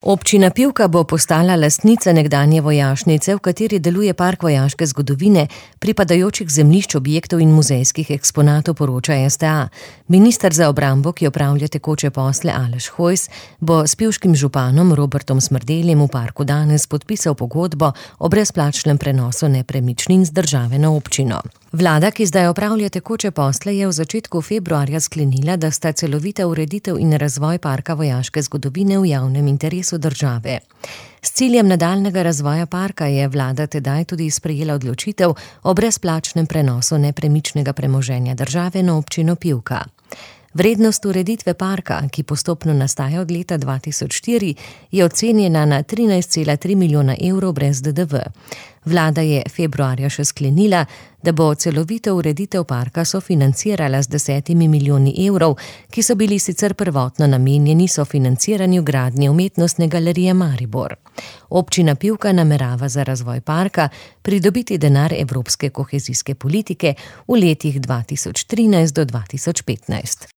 Občina Pivka bo postala lastnica nekdanje vojašnice, v kateri deluje park vojaške zgodovine, pripadajočih zemljišč, objektov in muzejskih eksponatov, poroča STA. Minister za obrambo, ki opravlja tekoče posle, Aleš Hojs, bo s pivškim županom Robertom Smrdeljem v parku danes podpisal pogodbo o brezplačnem prenosu nepremičnin z države na občino. Vlada, ki zdaj opravlja tekoče posle, je v začetku februarja sklenila, da sta celovita ureditev in razvoj parka vojaške zgodovine v javnem interesu države. S ciljem nadaljnjega razvoja parka je vlada tedaj tudi sprejela odločitev o brezplačnem prenosu nepremičnega premoženja države na občino Pivka. Vrednost ureditve parka, ki postopno nastaja od leta 2004, je ocenjena na 13,3 milijona evrov brez DDV. Vlada je februarja še sklenila, da bo celovito ureditev parka sofinancirala z 10 milijoni evrov, ki so bili sicer prvotno namenjeni sofinanciranju gradnje umetnostne galerije Maribor. Občina Pivka namerava za razvoj parka pridobiti denar evropske kohezijske politike v letih 2013 do 2015.